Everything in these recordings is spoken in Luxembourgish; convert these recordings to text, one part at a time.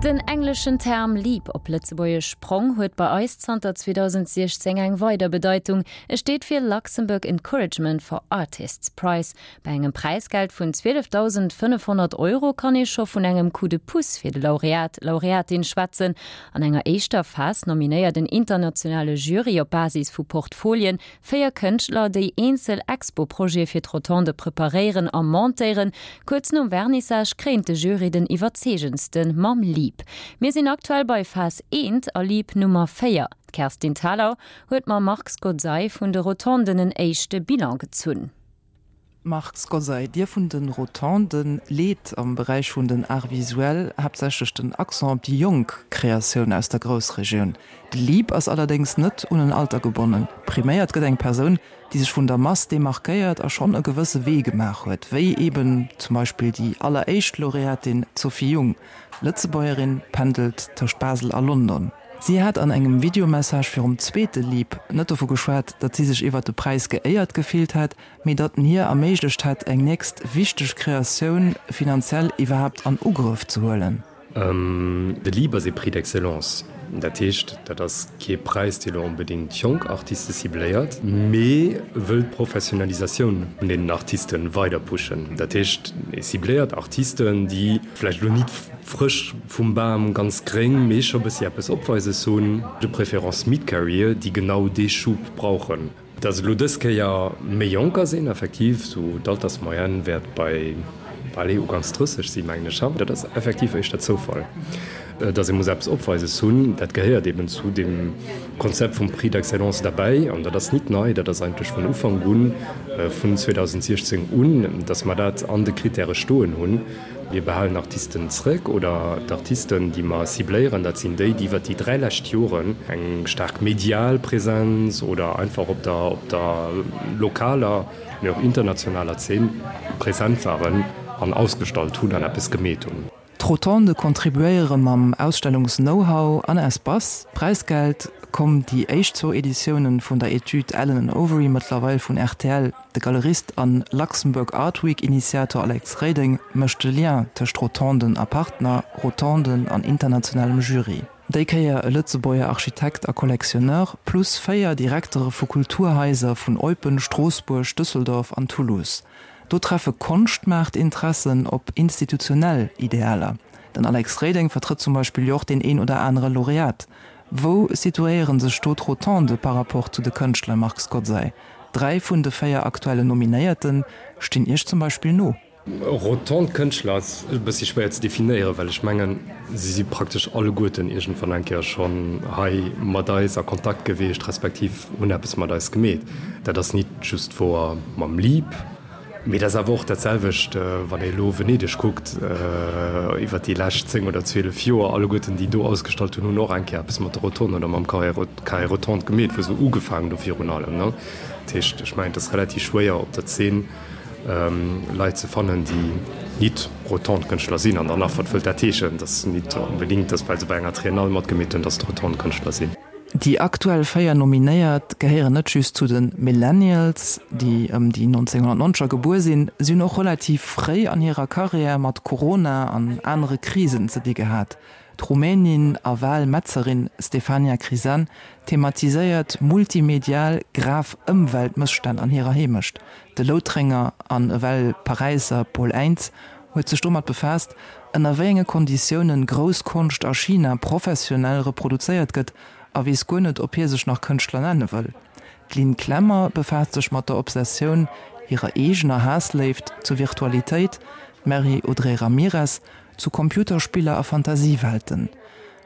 Den engleschen Term Leap, op Lëtzebuergesch Sprong, huet bei eis zanter 2016 eng weider Bedeitung, E steet fir Luxembourg Encouragement for Artists Prize. Bei engem Präisgeld vun 12.500 Euro kann ee scho vun engem Coup de pouce fir de Laureat, Laureatin schwätzen. An enger éischter Phas nominéiert en internationale Jury op Basis vu Portfolien 4 Kënschtler, déi eenzel Expo-Projete fir d'Rotonde preparéieren a montéieren. Kuerz nom Vernissage kréint de Jury den iwwerzeegendste mam Leap. Mir sinn aktuell bei Phas I a Leap Nummer 4. D'Kerstin Thalau huet mam Marc Scozzai vun de Rotonden en éischte Bilan gezunn. Marc Scozzai, Dir vun de Rotonden leet am Beräich vun den Arts visuels haaptsächlech den Accent op déi jonk Kreatioun aus der Groussregioun. De Leap ass allerdéngs net un en Alter gebonnen. Priméiert gëtt eng Persoun, déi sech vun der Mass demarkéiert a schonn e gewësse Wee gemaach huet, wéi eben zum Beispill déi alleréischt Laureatin d'Sophie Jung. Lëtzebuergerin, pendelt tëscht Basel a London. Si hat an engem Videomessage virum zweete Leap net dovu geschwat, datt si sech iwwert de Präis geéiert gefillt hätt, mee datt en hir erméiglecht hätt, eng nächst wichteg Kreatioun finanziell iwwerhaapt an Ugrëff ze huelen. De Leap ass ee Prix d'excellence. Dat heescht, dat ass kee Präis, dee lo onbedéngt jonk Artiste cibléiert, mee wëll d'Professionalisatioun vun deenen Artiste weider pushen. Dat heescht, e cibléiert Artisten, déi vläicht elo nit frësch vum Bam ganz gréng, mee scho bëssi eppes Opweises hunn, de préférence mid-career, déi genau dee Schub brauchen. Dass et elo dës Kéier méi Jonker sinn, effektiv, esou d'Altersmoyenne wäert bei, allez, uganks 30 sinn, mengen ech, dat ass effektiv éischter Zoufall. Dass ee muss eppes Opweises hunn, dat gehéiert eben zu deem Konzept vum Prix d'excellence derbäi. An dat ass nit nei, dat ass eigentlech vun Ufank un, vun 2016 un, dass mer dat an de Kritäre stoen hunn. Mir behalen Artisten zrëck, oder d'Artisten, déi mer cibléieren, dat sinn déi, déi iwwert déi 3 lescht Joren eng staark medial Präsenz oder einfach op der, op der lokaler, mee och internationaler Zeen present waren an ausgestallt hunn an eppes gemeet hunn. D'Rotonde contribuéiere mam Ausstellungs-Know-how an Espace. D'Präisgeld komm déi éischt zwou Editiounen vun der Etüd Allen and Overy mëttlerweil vun rtl. De Galerist an Luxembourg Art Week Initiator Alex Reding mécht de Lien tëscht Rotonden a Partner, Rotonden an internationalem Jury. Déi Kéier e Lëtzebuerger Architekt a Collectionneur, plus 4 Direktere vu Kulturhaiser vun Eupen, Stroossbuerg, Düsseldorf an Toulouse. Do treffe Konschtmaartinteressen op institutionell Idealer. Den Alex Reding vertrëtt zum Beispill jo och deen een oder anere Laureat. Wou situéiere sech do d'Rotonde par rapport zu de Kënschtler, Marc Scozzai? 3 vun de 4 aktuellen Nominéierte stinn Iech zum Beispill no. Rotonde Kënschtler ass e bëssi schwéier ze definéieren, well ech mengen, si si praktesch alleguerten iergendwann eng Kéier schonn hei mat eis a Kontakt gewiescht, respektiv hunn eppes mat eis gemeet. Dat ass nit just wouer mam Leap. Mee dat ass awer och dat selwecht, wann ee elo Venedeg kuckt, iwwer déi lescht 10 oder 12 Joer, alleguerten déi do ausgestallt hunn, hunn och eng Kéier eppes mat der Rotonde oder mam Carré Rotonde gemeet, wou se ugefaangen hu virun allem. Dat heescht, ech mengen, et ass relativ schwéier op der Zeen Leit ze fannen, déi nit Rotonde-Kënschtler sinn. An dann nach, wat wëllt dat heeschen? Et ass nit onbedéngt, datt well se bei enger Triennale matgemeet hunn, datt et Rotonde-Kënschtler sinn. Déi aktuell 4 Nominéiert gehéieren net just zu de Millennials, déi ëm déi 1990er gebuer sinn. Si hunn och relativ fréi an hirer Karriär mat Corona an anere Krisen ze di gehat. D'Rumänin a Wahl-Metzerin Stefania Crisan thematiséiert multimedial grav Ëmweltmësstänn an hirer Heemecht. De Loutrenger an ewell Paräisser Paul Eintz huet sech domat befaasst, ënner wéi enge Konditiounen grouss Konscht a China professionell reproduzéiert gëtt a weess guer net, ob hie sech nach Kënschtler nenne wëll. D'Lynn Clemmer befaasst sech mat der Obsessioun, hirer eegener Haassléift zur Virtualitéit, d'Mary Audrey Ramirez zu Computerspiller a Fantasiewelten.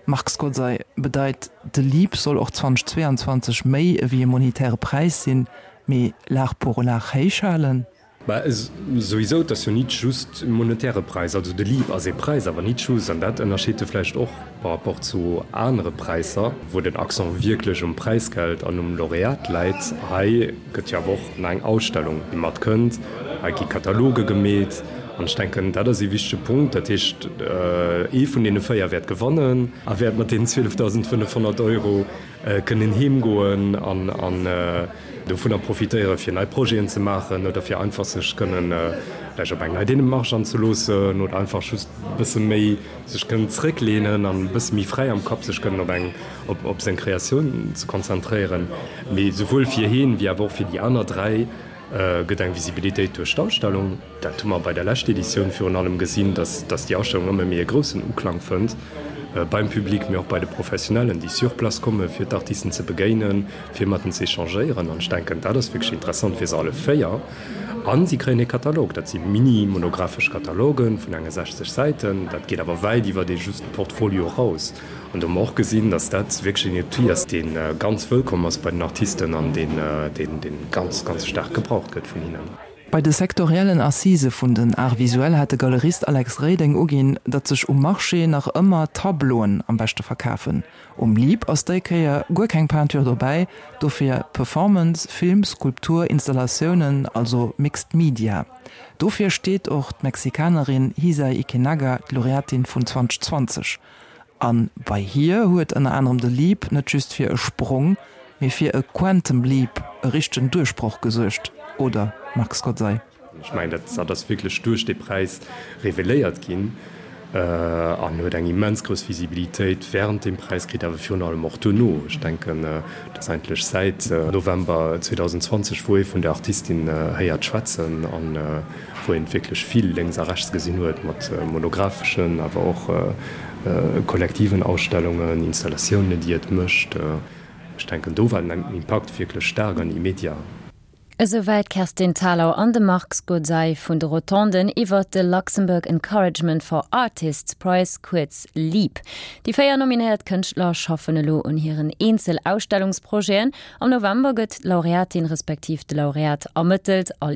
Marc Scozzai, Bedeit, de Leap soll och 2022 méi ewéi e monetäre Präis sinn, mee l'art pour l'art héich halen? Bah, souwisou, et ass jo nit just e monetäre Präis. Also de Leap ass ee Präis, awer nit just. An dat ënnerscheet e vläicht och par rapport zu anere Präisser, wou den Accent wierklech um Präisgeld an um Laureat läit. Hei gëtt jo awer och nach eng Ausstellung, déi matkënnt. Hei gi Kataloge gemeet. An ech denken, dat ass ee wichtege Punkt. Dat heescht, ee vun deene 4 wäert gewannen a wäert mat deenen 12.500 Euro kënnen heemgoen an dovunner profitéieren, fir nei Projeten ze maachen oder fir einfach sech kënnen vläicht op eng nei Démarche anzeloossen oder einfach just e bësse méi sech kënnen zrécklehnen an e bësse méi fräi am Kapp sech kënnen op eng, op seng Kreatioun ze konzentréieren. Mee souwuel fir heen wéi awer och fir déi aner 3 gëtt eng Visibilitéit duerch d'Ausstellung. Dat hu mer bei der leschter Editioun virun allem gesinn, dass déi Ausstellung ëmmer méi e groussen Uklang fënnt beim Public, mee och bei de Professionellen, déi sur place kommen, fir d'Artisten ze begéinen, fir mat en ze échangéieren. An ech denken, dat ass wierklech interessant fir se alle 4. A si kréien e Katalog. Dat si mini-monographesch Kataloge vun enge 60 Säiten. Dat geet awer wäit iwwer ee just Portfolio eraus. An do hu mer och gesinn, dass dat wierklech en Outil ass, dee ganz wëllkomm ass bei den Artisten an dee ganz, ganz staark gebraucht gëtt vun hinnen. Bei de sektoriellen Assisë vun den Arts visuels hat de Galerist Alex Reding uginn, datt sech um Marché nach ëmmer Tableauen am beschte verkafen. Um Leap ass déi Kéier guer keng Peinture dobäi, dofir Performance, Film, Skulptur, Installatiounen, also Mixed Media. Dofir steet och d'Mexikanerin Hisae Ikenaga, d'Laureatin vun 2020. A bei hir huet ënner anerem de Leap net just fir e Sprong, mee fir e Quantum Leap, e richtegen Duerchbroch gesuergt, oder, Marc Scozzai? Ech mengen, dat ass wierklech duerch dee Präis reveléiert ginn an huet eng immens grouss Visibilitéit wärend deem Präis kritt, awer virun allem och duerno. Ech denken, dat ass eigentlech säit November 2020, wou ee vun der Artistin héiert schwätzen an wou een wierklech vill lénks a rechts gesinn huet mat monographeschen, awer och kollektiven Ausstellungen, Installatiounen, déi et mécht. Ech denken, do war den Impakt wierklech staark an immediat. Esouwäit d'Kerstin Thalau an de Marc Scozzai vun de Rotonden iwwert de Luxembourg Encouragement for Artists Prize, kuerz LEAP. Déi 4 nominéiert Kënschtler schaffen elo un hiren eenzel Ausstellungsprojeten. Am November gëtt d'Laureatin respektiv de Laureat ermëttelt.